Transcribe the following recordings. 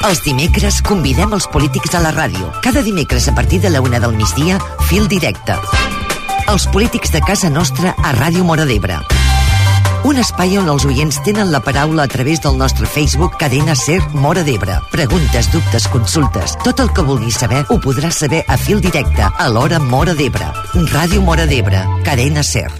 Els dimecres convidem els polítics a la ràdio. Cada dimecres a partir de la 1 del migdia, Fil Directe. Els polítics de casa nostra a Ràdio Móra d'Ebre. Un espai on els oients tenen la paraula a través del nostre Facebook Cadena Ser Móra d'Ebre. Preguntes, dubtes, consultes, tot el que vulguis saber ho podràs saber a Fil Directe a l'hora Móra d'Ebre. Ràdio Móra d'Ebre, Cadena Ser.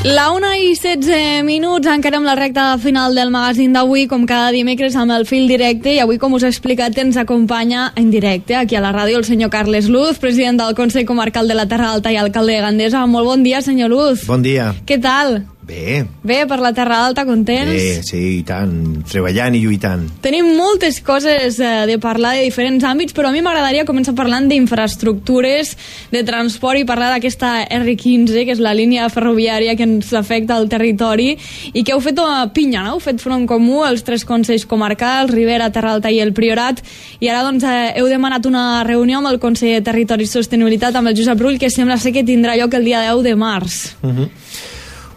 La 1:16, encara amb la recta final del magazín d'avui, com cada dimecres amb el Fil Directe, i avui, com us he explicat, ens acompanya en directe aquí a la ràdio el senyor Carles Luz, president del Consell Comarcal de la Terra Alta i alcalde de Gandesa. Molt bon dia, senyor Luz. Bon dia. Què tal? Bé. Bé, per la Terra Alta, contents? Bé, sí, i tant, treballant i lluitant. Tenim moltes coses de parlar de diferents àmbits, però a mi m'agradaria començar parlant d'infraestructures, de transport i parlar d'aquesta R15, que és la línia ferroviària que ens afecta al territori i que heu fet a pinya, no? Heu fet front comú els 3 consells comarcals, Ribera, Terra Alta i el Priorat, i ara doncs heu demanat una reunió amb el Consell de Territori i Sostenibilitat amb el Josep Rull, que sembla ser que tindrà lloc el dia 10 de març.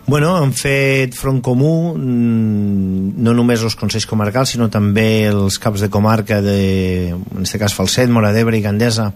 Bueno, hem fet front comú, no només els consells comarcals, sinó també els caps de comarca en aquest cas Falset, Móra d'Ebre i Gandesa,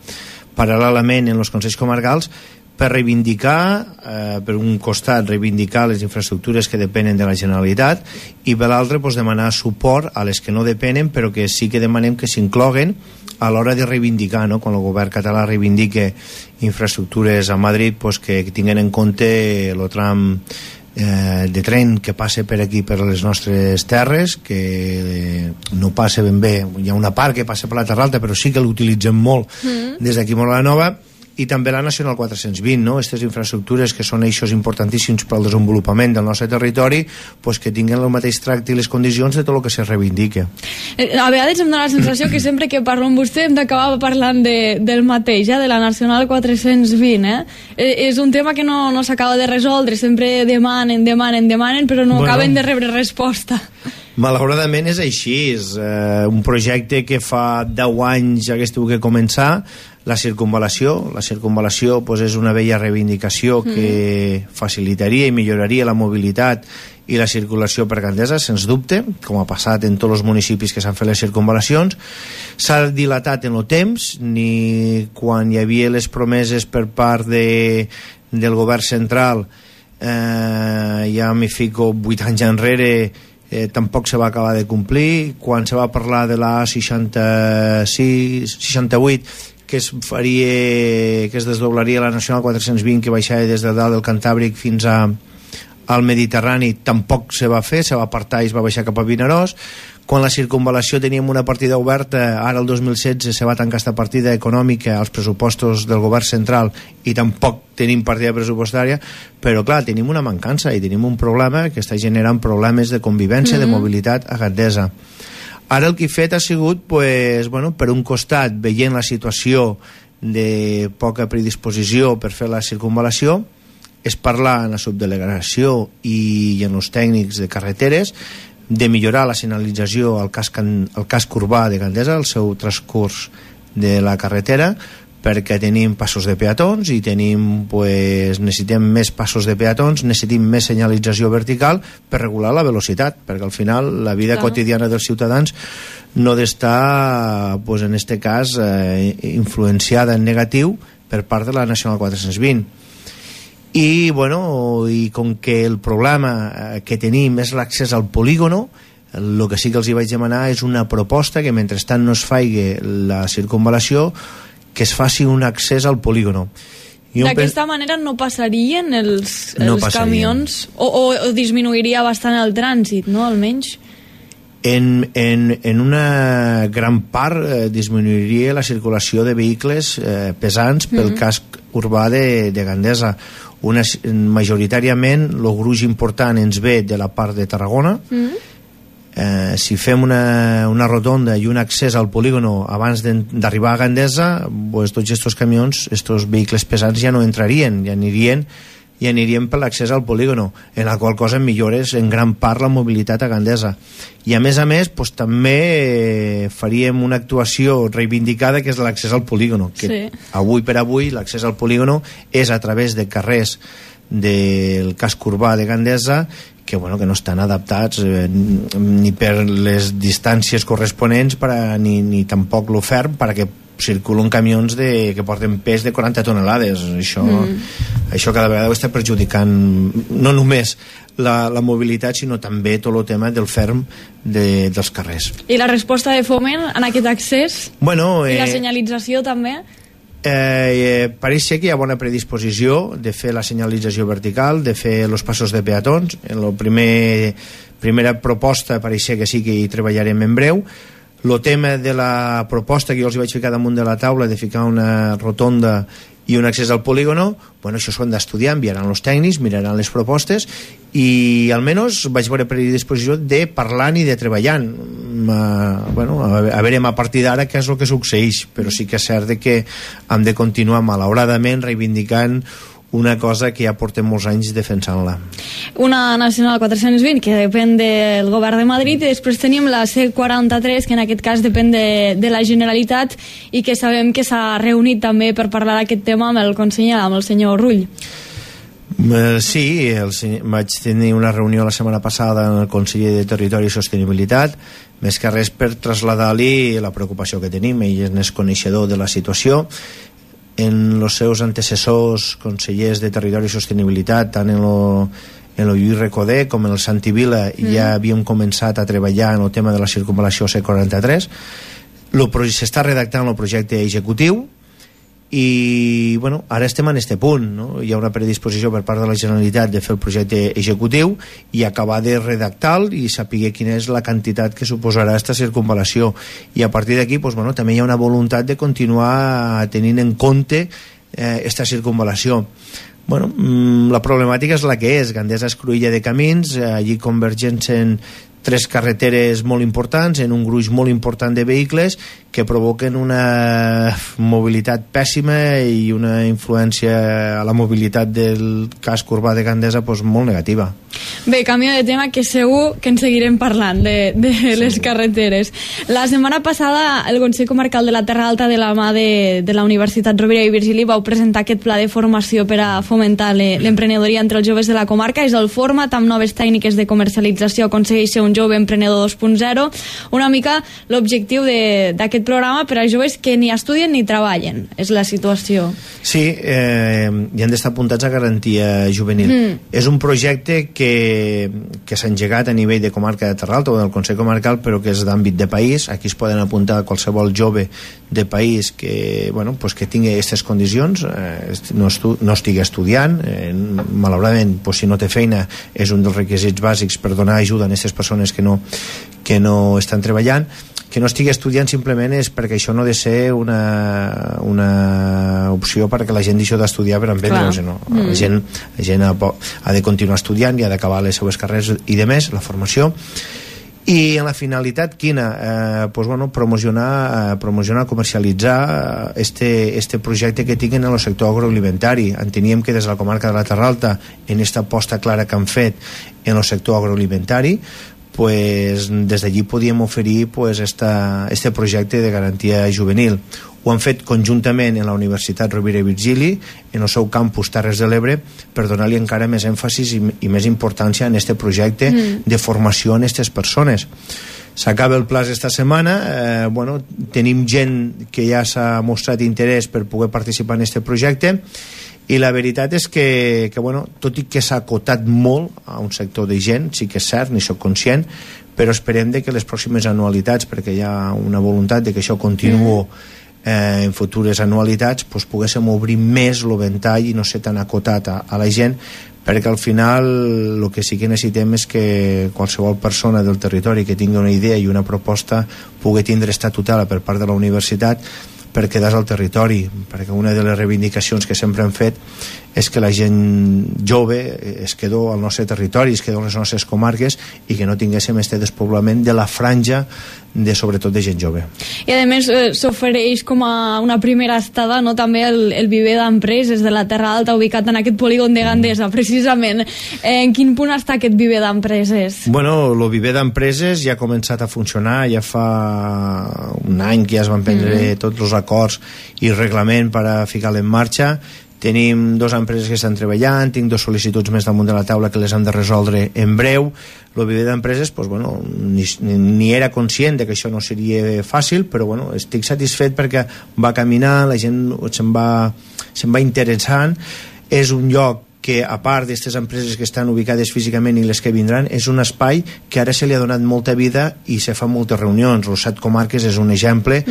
paral·lelament en els consells comarcals, per reivindicar, per un costat, reivindicar les infraestructures que depenen de la Generalitat i per l'altre demanar suport a les que no depenen, però que sí que demanem que s'incloguen a l'hora de reivindicar, no? Quan el govern català reivindique infraestructures a Madrid, que tinguin en compte el tram de tren que passa per aquí, per les nostres terres, que no passa ben bé. Hi ha una part que passa per la Terra Alta, però sí que l'utilitzem molt des d'aquí Móra la Nova, i també la Nacional 420, no? Aquestes infraestructures que són eixos importantíssims per al desenvolupament del nostre territori, que tinguin el mateix tracte i les condicions de tot el que se reivindica. A vegades em dóna la sensació que sempre que parlo amb vostè hem d'acabar parlant del mateix, de la Nacional 420. És un tema que no s'acaba de resoldre, sempre demanen, però no acaben de rebre resposta. Malauradament és així, és un projecte que fa 10 anys hagués tingut que començar. La circunvalació és una vella reivindicació que facilitaria i milloraria la mobilitat i la circulació per Gandesa, sens dubte, com ha passat en tots els municipis que s'han fet les circunvalacions. S'ha dilatat en el temps, ni quan hi havia les promeses per part del govern central, ja m'hi fico 8 anys enrere, tampoc se va acabar de complir. Quan se va parlar de la A68 que es desdoblaria la Nacional 420, que baixava des de dalt del Cantàbric fins al Mediterrani, tampoc se va fer, se va apartar i es va baixar cap a Vinaròs. Quan la circunvalació teníem una partida oberta, ara el 2016 se va tancar aquesta partida econòmica als pressupostos del govern central i tampoc tenim partida pressupostària, però clar, tenim una mancança i tenim un problema que està generant problemes de convivència, de mobilitat a Gandesa. Ara el que he fet ha sigut, per un costat, veient la situació de poca predisposició per fer la circunvalació, és parlar en la subdelegació i en els tècnics de carreteres de millorar la senyalització al casc urbà de Gandesa, el seu transcurs de la carretera, perquè tenim passos de peatons i necessitem més passos de peatons, necessitem més senyalització vertical per regular la velocitat, perquè al final la vida quotidiana dels ciutadans no ha d'estar, en aquest cas, influenciada en negatiu per part de la Nacional 420. I com que el problema que tenim és l'accés al polígono, el que sí que els hi vaig demanar és una proposta que mentrestant no es faci la circunvalació, que es faci un accés al polígono. D'aquesta manera no passarien els camions o disminuiria bastant el trànsit, no? Almenys en una gran part disminuiria la circulació de vehicles pesants pel casc urbà de Gandesa. Majoritàriament el gruix important ens ve de la part de Tarragona. Si fem una rotonda i un accés al polígono abans d'arribar a Gandesa, tots aquests camions, aquests vehicles pesants ja no entrarien, ja anirien i aniríem per l'accés al polígono, en la qual cosa millores en gran part la mobilitat a Gandesa. I a més, pues, també faríem una actuació reivindicada, que és l'accés al polígono, que sí. Avui per avui l'accés al polígono és a través de carrers del casc urbà de Gandesa que no estan adaptats ni per les distàncies corresponents ni tampoc l'ofert perquè circulen camions que porten pes de 40 tonelades. Això cada vegada ho està perjudicant no només la mobilitat, sinó també tot el tema del ferm dels carrers. I la resposta de Foment en aquest accés? I la senyalització també? Pareix ser que hi ha bona predisposició de fer la senyalització vertical, de fer els passos de peatons. En la primera proposta pareix ser que sí que hi treballarem en breu. El tema de la proposta que jo els vaig ficar damunt de la taula de ficar una rotonda i un accés al polígono, això s'ho han d'estudiar, enviaran els tècnics, miraran les propostes i almenys vaig veure predisposició de parlar i de treballar. A veure a partir d'ara què és el que succeeix, però sí que és cert que hem de continuar malauradament reivindicant una cosa que ja portem molts anys defensant-la. Una Nacional 420 que depèn del govern de Madrid i després tenim la C43 que en aquest cas depèn de la Generalitat i que sabem que s'ha reunit també per parlar d'aquest tema amb el conseller, amb el senyor Rull. Sí, vaig tenir una reunió la setmana passada amb el conseller de Territori i Sostenibilitat, més que res per traslladar-li la preocupació que tenim. Ell és coneixedor de la situació. En els seus antecessors consellers de Territori i Sostenibilitat, tant en el Lluís Recoder com en el Santi Vila, ja havíem començat a treballar en el tema de la circunvalació C43. S'està redactant el projecte executiu i ara estem en aquest punt, no? Hi ha una predisposició per part de la Generalitat de fer el projecte executiu i acabar de redactar i saber quina és la quantitat que suposarà aquesta circunvalació, i a partir d'aquí també hi ha una voluntat de continuar tenint en compte aquesta circunvalació. La problemàtica és la que és. Gandesa és cruïlla de camins, allí convergeixen 3 carreteres molt importants en un gruix molt important de vehicles que provoquen una mobilitat pèssima i una influència a la mobilitat del casc urbà de Gandesa molt negativa. Bé, canvio de tema, que segur que en seguirem parlant de les carreteres. La setmana passada el Consell Comarcal de la Terra Alta, de la mà de la Universitat Rovira i Virgili, vau presentar aquest pla de formació per a fomentar l'emprenedoria entre els joves de la comarca. És el Format, amb noves tècniques de comercialització, aconsegueix ser un jove emprenedor 2.0. Una mica l'objectiu d'aquest programa per a joves que ni estudien ni treballen. És la situació. Sí, i han d'estar apuntats a garantia juvenil. És un projecte que s'ha engegat a nivell de comarca de Terra Alta o del Consell Comarcal, però que és d'àmbit de país. Aquí es poden apuntar qualsevol jove de país que tingui aquestes condicions, no estigui estudiant. Malauradament, si no té feina, és un dels requisits bàsics per donar ajuda a aquestes persones que no estan treballant. Que no estigui estudiant simplement és perquè això no ha de ser una opció perquè la gent deixi d'estudiar per emprendre, no? La gent ha de continuar estudiant i ha d'acabar les seues carreres i de més, la formació. I en la finalitat quina? Promocionar, comercialitzar este projecte que tinguin en el sector agroalimentari. Enteníem que des de la comarca de la Terra Alta, en aquesta aposta clara que han fet en el sector agroalimentari, des d'allí podíem oferir este projecte de garantia juvenil. Ho han fet conjuntament en la Universitat Rovira i Virgili, en el seu campus Terres de l'Ebre, per donar-li encara més èmfasis i més importància en este projecte de formació en aquestes persones. S'acaba el pla esta setmana, tenim gent que ja s'ha mostrat interès per poder participar en este projecte, i la veritat és que tot i que s'ha acotat molt a un sector de gent, sí que és cert, n'hi soc conscient, però esperem que les pròximes anualitats, perquè hi ha una voluntat de que això continuï en futures anualitats, poguéssim obrir més el ventall i no ser tan acotat a la gent, perquè al final el que sí que necessitem és que qualsevol persona del territori que tingui una idea i una proposta pugui tindre esta tutela per part de la universitat per quedar al territori, perquè una de les reivindicacions que sempre hem fet és que la gent jove es quedó al nostre territori, es quedó a les nostres comarques i que no tinguéssim este despoblament de la franja sobretot de gent jove. I a més s'ofereix com a una primera estada, no, també el viver d'empreses de la Terra Alta ubicat en aquest polígon de Gandesa, precisament. En quin punt està aquest viver d'empreses? Bueno, el viver d'empreses ja ha començat a funcionar, ja fa un any que ja es van prendre tots els acords i reglament per a ficar-lo en marxa. Tenim 2 empreses que estan treballant, tinc 2 sol·licituds més damunt de la taula que les hem de resoldre en breu. El viver d'empreses, pues, bueno, ni era conscient de que això no seria fàcil, però bueno, estic satisfet perquè va caminar, la gent se'n va interessant. És un lloc que, a part d'aquestes empreses que estan ubicades físicament i les que vindran, és un espai que ara se li ha donat molta vida i se fan moltes reunions. Els 7 comarques és un exemple,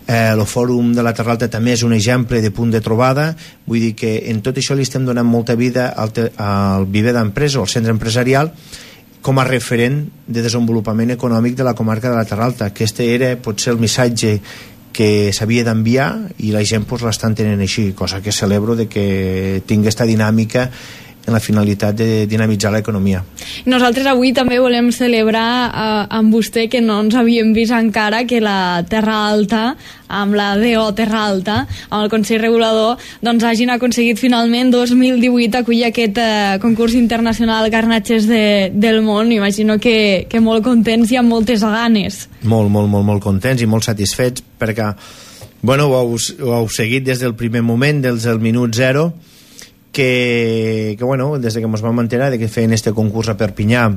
el Fòrum de la Terra Alta també és un exemple de punt de trobada. Vull dir que en tot això li estem donant molta vida al viver d'empresa o al centre empresarial com a referent de desenvolupament econòmic de la comarca de la Terra Alta. Aquest era potser el missatge que s'havia d'enviar i la gent pues, l'estan tenint així, cosa que celebro de que tingui aquesta dinàmica en la finalitat de dinamitzar l'economia. Nosaltres avui també volem celebrar amb vostè, que no ens havíem vist encara, que la Terra Alta, amb la DO Terra Alta, amb el Consell Regulador, doncs hagin aconseguit finalment 2018 acollir aquest concurs internacional Garnatges del món. Imagino que molt contents i amb moltes ganes. Molt contents i molt satisfets perquè bueno, ho heu seguit des del primer moment, des del minut 0, que bueno, des que ens vam enterar de que feien este concurs a Perpinyà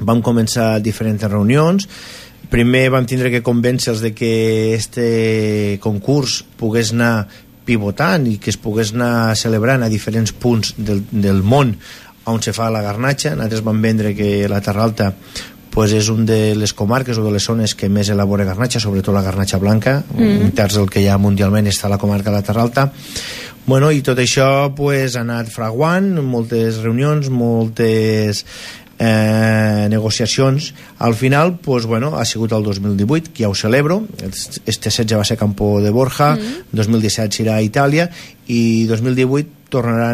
vam començar diferents reunions. Primer vam tindre que convèncer-los de que este concurs pogués anar pivotant i que es pogués anar celebrant a diferents punts del món on se fa la garnatxa. Nosaltres vam vendre que la Terra Alta pues és una de les comarques o de les zones que més elabora garnatxa, sobretot la garnatxa blanca. Un terç del que hi ha mundialment està a la comarca de la Terra Alta. Bueno, i tot això pues, ha anat fraguant, moltes reunions, moltes negociacions. Al final pues, bueno, ha sigut el 2018, que ja ho celebro. Este 16 va ser Campo de Borja, 2017 serà a Itàlia i 2018 tornarà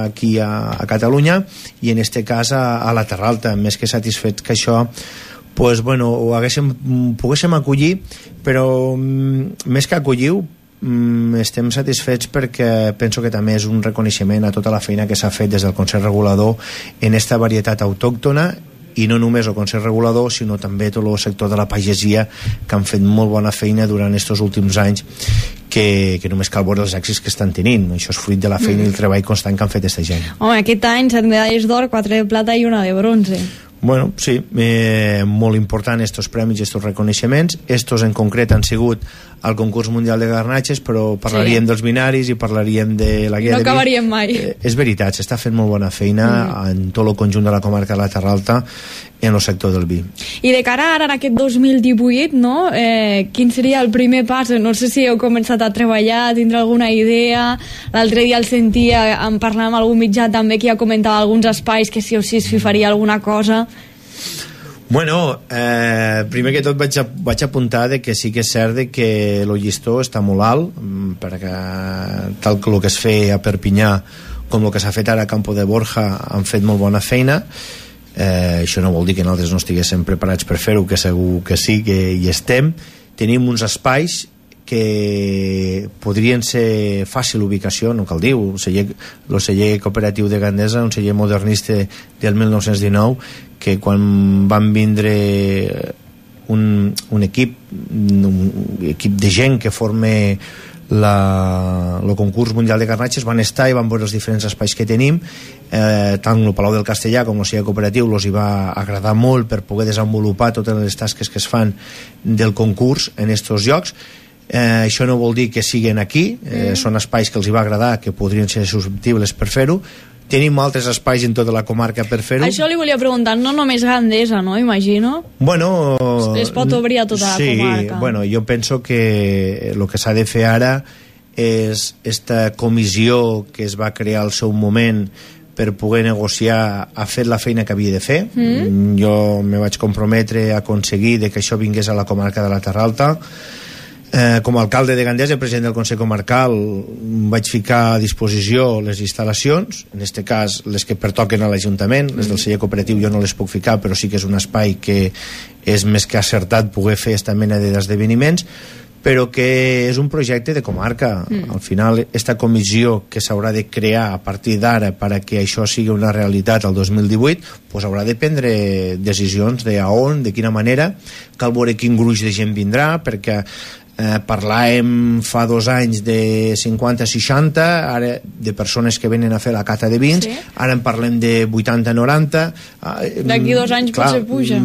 aquí a Catalunya i en este cas a la Terra Alta. Més que satisfet que això pues, bueno, ho poguéssim acollir, però més que acollir estem satisfets perquè penso que també és un reconeixement a tota la feina que s'ha fet des del Consell Regulador en esta varietat autòctona, i no només el Consell Regulador sinó també tot el sector de la pagesia, que han fet molt bona feina durant aquests últims anys, que només cal veure els èxits que estan tenint. Això és fruit de la feina i el treball constant que han fet aquesta gent. Home, aquest any 7 medalles d'or, 4 de plata i 1 de bronze. Bueno, sí, molt important estos premis i estos reconeixements. Estos en concret han sigut al concurs mundial de garnatges, però parlaríem dels binaris i parlaríem de la guia de vi. No acabaríem mai. És veritat, s'està fent molt bona feina en tot el conjunt de la comarca de la Terra Alta en el sector del vi. I de cara ara en aquest 2018, no? Quin seria el primer pas? No sé si heu començat a treballar, tindre alguna idea. L'altre dia el sentia, en parlar amb algun mitjà també, que ja comentava alguns espais que sí o sí es faria alguna cosa. Bueno, primer que tot vaig apuntar de que sí que és cert de que el llistó està molt alt, perquè tal que el que es feia a Perpinyà com el que s'ha fet ara a Campo de Borja han fet molt bona feina. Això no vol dir que nosaltres no estiguéssim preparats per fer-ho, que segur que sí, que hi estem. Tenim uns espais que podrien ser fàcil ubicació, no cal dir, el celler cooperatiu de Gandesa, un celler modernista del 1919, que quan van vindre un equip de gent que forma el concurs mundial de garnatges, van estar i van veure els diferents espais que tenim, tant el Palau del Castellà com el celler cooperatiu els hi va agradar molt per poder desenvolupar totes les tasques que es fan del concurs en aquests llocs. Això no vol dir que siguin aquí, són espais que els hi va agradar, que podrien ser susceptibles per fer-ho. Tenim altres espais en tota la comarca per fer-ho. Això li volia preguntar, no només Gandesa, no? Imagino. Bueno, es pot obrir a tota la comarca. Sí, bueno, jo penso que el que s'ha de fer ara és esta comissió que es va crear al seu moment per poder negociar, ha fet la feina que havia de fer. Jo me vaig comprometre a aconseguir que això vingués a la comarca de la Terra Alta. Com a alcalde de Gandesa, president del Consell Comarcal, vaig ficar a disposició les instal·lacions, en aquest cas les que pertoquen a l'Ajuntament, les del celler cooperatiu jo no les puc ficar, però sí que és un espai que és més que acertat poder fer aquesta mena d'esdeveniments, però que és un projecte de comarca. Al final, aquesta comissió que s'haurà de crear a partir d'ara perquè això sigui una realitat el 2018, pues haurà de prendre decisions de a on, de quina manera, cal veure quin gruix de gent vindrà, perquè parlàvem fa 2 anys de 50-60, ara de persones que venen a fer la cata de vins, ara en parlem de 80-90. D'aquí 2 anys potser puja.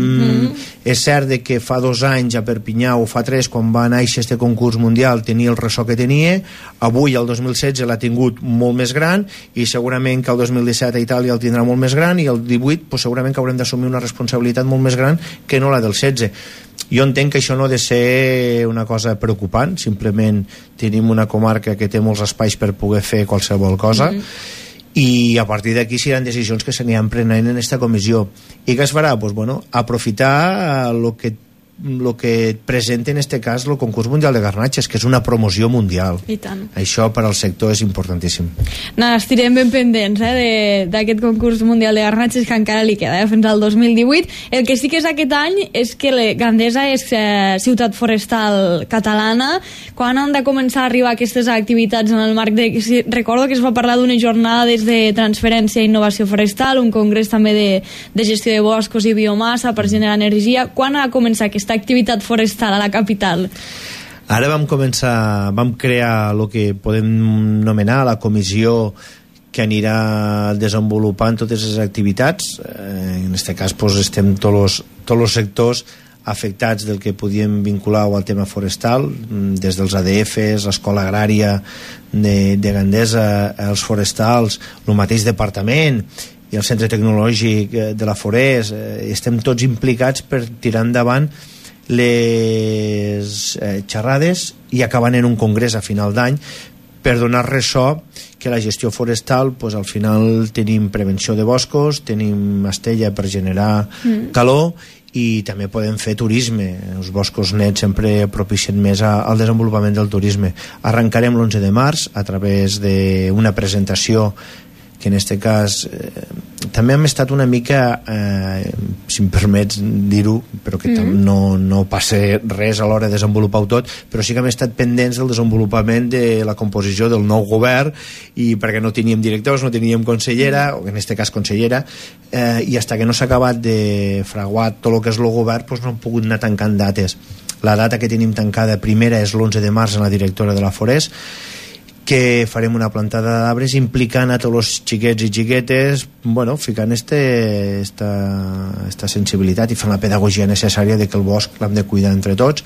És cert que fa 2 anys a Perpinyà o fa 3, quan va néixer este concurs mundial, tenia el ressò que tenia. Avui el 2016 l'ha tingut molt més gran, i segurament que el 2017 a Itàlia el tindrà molt més gran, i el 18 pues, segurament que haurem d'assumir una responsabilitat molt més gran que no la del 16. Jo entenc que això no ha de ser una cosa preocupant, simplement tenim una comarca que té molts espais per poder fer qualsevol cosa, i a partir d'aquí seran decisions que s'aniran prenent en aquesta comissió. I què es farà? Pues, bueno, aprofitar el que presenta en este cas el concurs mundial de garnatges, que és una promoció mundial. I tant. Això per al sector és importantíssim. Estirem ben pendents d'aquest concurs mundial de garnatges, que encara li queda fins al 2018. El que sí que és aquest any és que Gandesa és ciutat forestal catalana. Quan han de començar a arribar aquestes activitats en el marc de... Recordo que es va parlar d'unes jornades de transferència i innovació forestal, un congrés també de gestió de boscos i biomassa per generar energia. Quan ha de començar aquesta activitat forestal a la capital? Ara vam crear el que podem anomenar la comissió que anirà desenvolupant totes les activitats. En aquest cas pues, estem tots els sectors afectats del que podíem vincular al tema forestal, des dels ADFs, l'escola agrària de Gandesa, els forestals, el mateix departament i el centre tecnològic de la Forest. Estem tots implicats per tirar endavant les xerrades i acabant en un congrés a final d'any per donar ressò que la gestió forestal, pues, al final tenim prevenció de boscos, tenim estella per generar calor, i també podem fer turisme. Els boscos nets sempre propicien més al desenvolupament del turisme. Arrencarem l'11 de març a través d'una presentació que en aquest cas també hem estat una mica, si em permets dir-ho, però que no passa res a l'hora de desenvolupar-ho tot, però sí que hem estat pendents del desenvolupament de la composició del nou govern, i perquè no teníem directors, no teníem consellera, o en aquest cas consellera, i fins que no s'ha acabat de fraguar tot el que és el govern, doncs no hem pogut anar tancant dates. La data que tenim tancada primera és l'11 de març en la directora de la Forest, que farem una plantada d'arbres implicant a tots els xiquets i xiquetes, bueno, ficant esta sensibilitat i fent la pedagogia necessària de que el bosc l'hem de cuidar entre tots,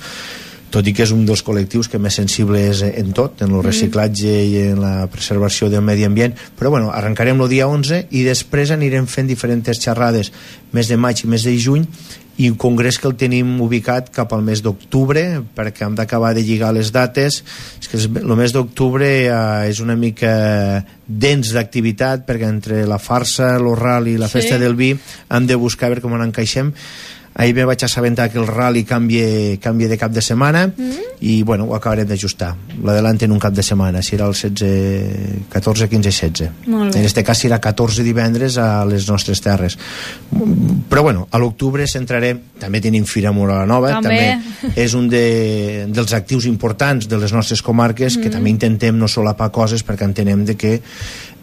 tot i que és un dels col·lectius que més sensible és en tot, en el reciclatge i en la preservació del medi ambient. Però bueno, arrencarem el dia 11 i després anirem fent diferents xerrades mes de maig i mes de juny, i un congrés que el tenim ubicat cap al mes d'octubre, perquè hem d'acabar de lligar les dates. És que el mes d'octubre és una mica dens d'activitat, perquè entre la farsa, el rally i la festa del vi hem de buscar a veure com ens encaixem. Ahir me vaig assabentar que el rally canvia de cap de setmana, i bueno, ho acabarem d'ajustar. L'adelanten un cap de setmana, serà el 16, 14, 15 i 16. En aquest cas serà 14 divendres a les nostres terres. Però bueno, a l'octubre centrarem, també tenim Fira Moral Nova, també és un dels actius importants de les nostres comarques, que també intentem no solapar coses, perquè entenem de que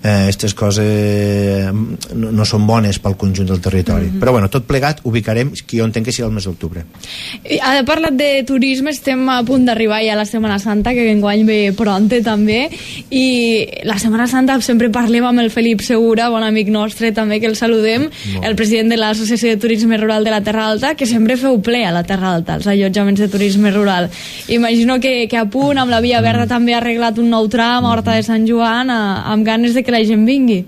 aquestes coses no són bones pel conjunt del territori. Però bueno, tot plegat ubicarem, que jo entenc que serà el mes d'octubre. Ha parlat de turisme, estem a punt d'arribar ja a la Setmana Santa, que enguany ve pronte també, i la Setmana Santa sempre parlem amb el Felip Segura, bon amic nostre també, que el saludem, el president de l'Associació de Turisme Rural de la Terra Alta, que sempre feu ple a la Terra Alta, els allotjaments de turisme rural. Imagino que a punt, amb la Via Verda també ha arreglat un nou tram a Horta de Sant Joan, amb ganes de que la gent vingui.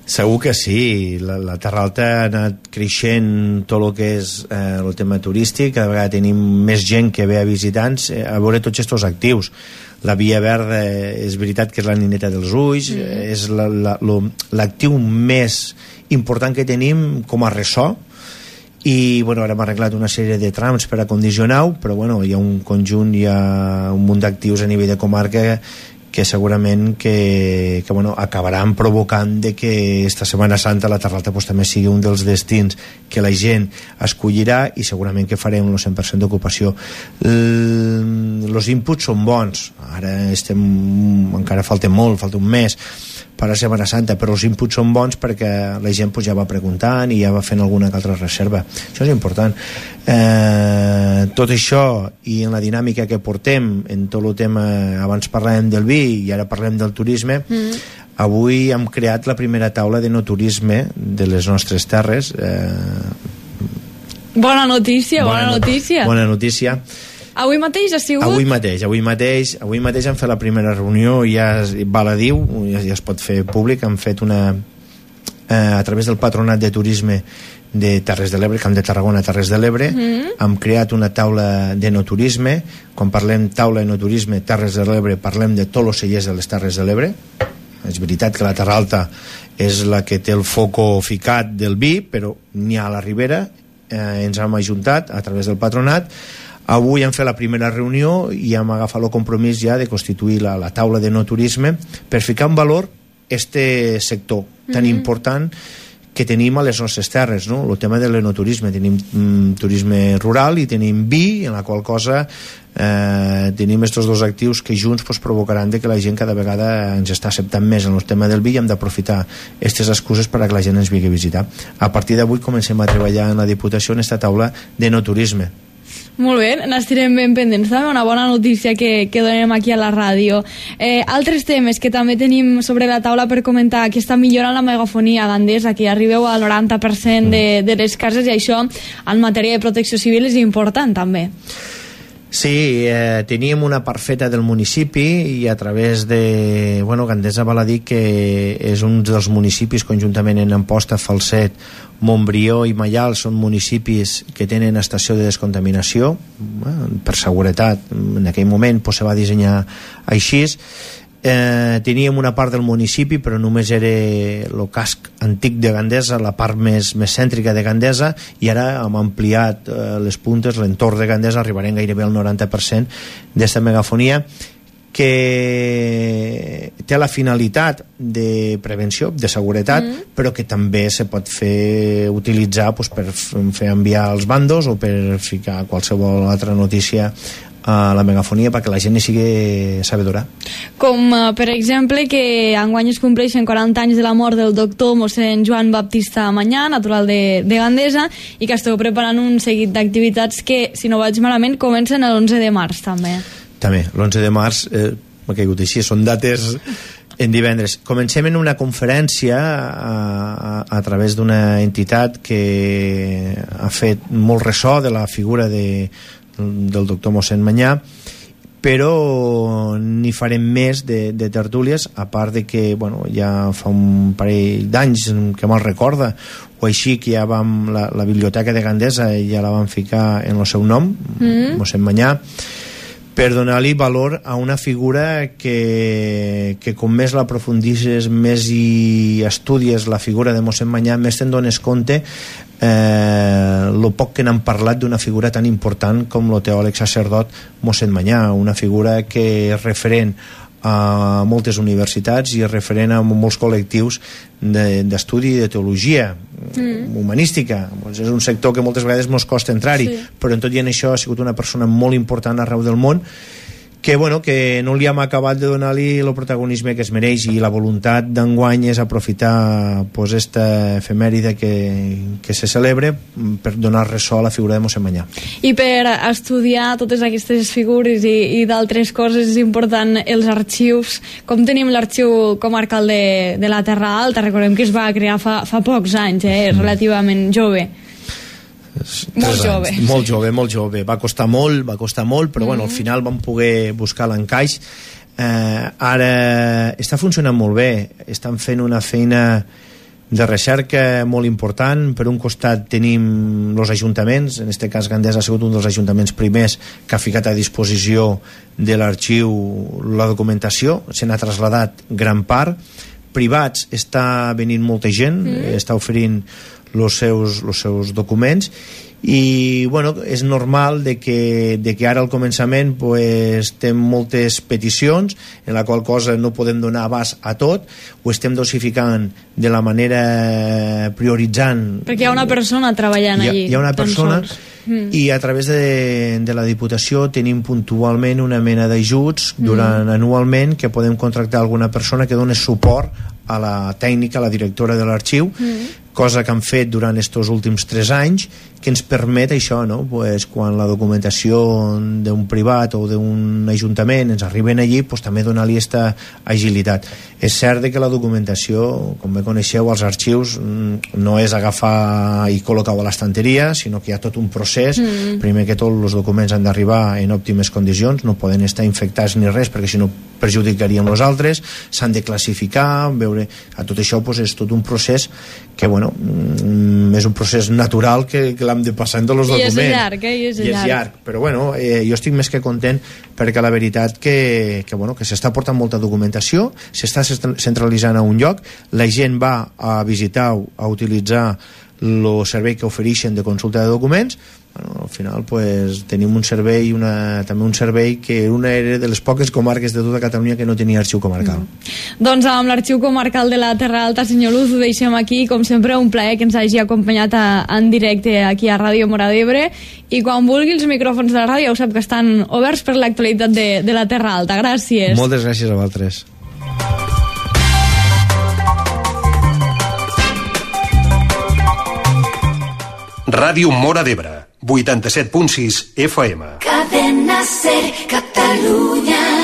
Segur que sí. La Terra Alta ha anat creixent tot el que és el tema turístic. Cada vegada tenim més gent que ve a visitants a veure tots aquests actius. La Via Verda és veritat que és la nineta dels ulls, és l'actiu més important que tenim com a ressò, i bueno, ara hem arreglat una sèrie de trams per acondicionar-ho, però bueno, hi ha un conjunt, hi ha un munt d'actius a nivell de comarca que segurament que bueno, acabaran provocant de que esta Setmana Santa la Terralta pues, també sigui un dels destins que la gent escollirà i segurament que farem el 100% d'ocupació. Els inputs són bons, ara encara falta molt, falta un mes per a Setmana Santa, però els inputs són bons perquè la gent pues, ja va preguntant i ja va fent alguna altra reserva. Això és important. Tot això i en la dinàmica que portem en tot el tema, abans parlàvem del vi i ara parlem del turisme, avui hem creat la primera taula de no turisme de les nostres terres. Bona notícia. Bona notícia. Avui mateix ha sigut? Avui mateix hem fet la primera reunió, ja val a dir, ja es pot fer públic, hem fet una a través del Patronat de Turisme de Terres de l'Ebre, Camp de Tarragona, Terres de l'Ebre, hem creat una taula de no turisme. Quan parlem taula de no turisme, Terres de l'Ebre, parlem de tots els cellers de les Terres de l'Ebre. És veritat que la Terra Alta és la que té el foco ficat del vi, però n'hi ha a la Ribera. Ens hem ajuntat a través del Patronat. Avui hem fet la primera reunió i hem agafat el compromís ja de constituir la taula de no turisme per ficar en valor este sector tan important que tenim a les nostres terres, no? El tema de l'enoturisme. Tenim turisme rural i tenim vi, en la qual cosa tenim estos dos actius que junts pues, provocaran de que la gent cada vegada ens està acceptant més en el tema del vi i hem d'aprofitar aquestes excuses per a que la gent ens vingui a visitar. A partir d'avui comencem a treballar en la Diputació en esta taula de no turisme. Molt bé, n'estirem ben pendents. També una bona notícia que donem aquí a la ràdio. Altres temes que també tenim sobre la taula per comentar, aquesta millora en la megafonia a Gandesa, que arribeu al 90% de les cases, i això en matèria de protecció civil és important també. Sí, teníem una part feta del municipi i a través de... Bueno, Gandesa val a dir que és un dels municipis, conjuntament en Amposta, Falset, Montbrió i Maial, són municipis que tenen estació de descontaminació, per seguretat. En aquell moment pues, se va dissenyar així. Teníem una part del municipi, però només era el casc antic de Gandesa, la part més cèntrica de Gandesa, i ara hem ampliat les puntes, l'entorn de Gandesa, arribarem gairebé al 90% d'esta megafonia, que té la finalitat de prevenció, de seguretat, però que també se pot utilitzar pues, per fer enviar als bandos o per ficar qualsevol altra notícia a la megafonia perquè la gent hi sigui sabedora. Com per exemple que enguany es compleixen 40 anys de la mort del doctor mossèn Joan Baptista Manyà, natural de Gandesa, i que esteu preparant un seguit d'activitats que, si no vaig malament, comencen l'11 de març també. També, l'11 de març m'ha caigut així, són dates en divendres. Comencem en una conferència a través d'una entitat que ha fet molt ressò de la figura del doctor mossèn Manyà, però n'hi farem més de tertúlies, a part de que bueno, ja fa un parell d'anys que me'l recorda o així, que ja vam la biblioteca de Gandesa ja la vam ficar en el seu nom, mossèn Manyà, per donar-li valor a una figura que com més l'aprofundisses, més hi estudies la figura de mossèn Manyà, més te'n dones compte el poc que n'han parlat d'una figura tan important com el teòleg sacerdot mossèn Manyà, una figura que és referent a moltes universitats i és referent a molts col·lectius d'estudi de teologia humanística. Doncs és un sector que moltes vegades ens costa entrar-hi, però en tot i en això ha sigut una persona molt important arreu del món, que, bueno, que no li hem acabat de donar-li el protagonisme que es mereix, i la voluntat d'enguany és aprofitar pues, esta efemèride que se celebre per donar ressò a la figura de mossèn Manyà. I per estudiar totes aquestes figures i d'altres coses és important els arxius. Com tenim l'arxiu comarcal de la Terra Alta? Recordem que es va crear fa pocs anys, relativament jove. Molt jove. Va costar molt, però bueno, al final vam poder buscar l'encaix. Ara està funcionant molt bé, estan fent una feina de recerca molt important. Per un costat tenim els ajuntaments, en aquest cas Gandesa ha sigut un dels ajuntaments primers que ha ficat a disposició de l'arxiu la documentació, se n'ha traslladat gran part. Privats està venint molta gent, està oferint els seus documents, i bueno, és normal de que ara al començament pues, té moltes peticions en la qual cosa no podem donar abast a tot, ho estem dosificant de la manera prioritzant, perquè hi ha una persona treballant allí, hi ha una persona i a través de la Diputació tenim puntualment una mena d'ajuts anualment que podem contractar alguna persona que doni suport a la tècnica, a la directora de l'arxiu, cosa que han fet durant estos últims 3 anys, que ens permet això, no? Pues, quan la documentació d'un privat o d'un ajuntament ens arriben allí, pues, també donar-li aquesta agilitat. És cert que la documentació, com bé coneixeu, als arxius no és agafar i col·locar-ho a l'estanteria, sinó que hi ha tot un procés. Primer que tot, els documents han d'arribar en òptimes condicions, no poden estar infectats ni res, perquè si no perjudicaríem els altres, s'han de classificar, veure... Tot això pues, és tot un procés que, bueno, és un procés natural que l'hem de passar en tots els documents. I és llarg, I és llarg. Però, bueno, jo estic més que content perquè la veritat que s'està portant molta documentació, s'està centralitzant a un lloc, la gent va a visitar-ho, a utilitzar el servei que ofereixen de consulta de documents. Bueno, al final pues, tenim un servei també un servei que era de les poques comarques de tota Catalunya que no tenia arxiu comarcal. Doncs amb l'arxiu comarcal de la Terra Alta, senyor Luz, ho deixem aquí. Com sempre, un plaer que ens hagi acompanyat en directe aquí a Ràdio Móra d'Ebre, i quan vulgui els micròfons de la ràdio ho sap que estan oberts per l'actualitat de la Terra Alta. Gràcies. Moltes gràcies a vosaltres. Ràdio Móra d'Ebre, 87.6 FM. Cadena Ser, Catalunya.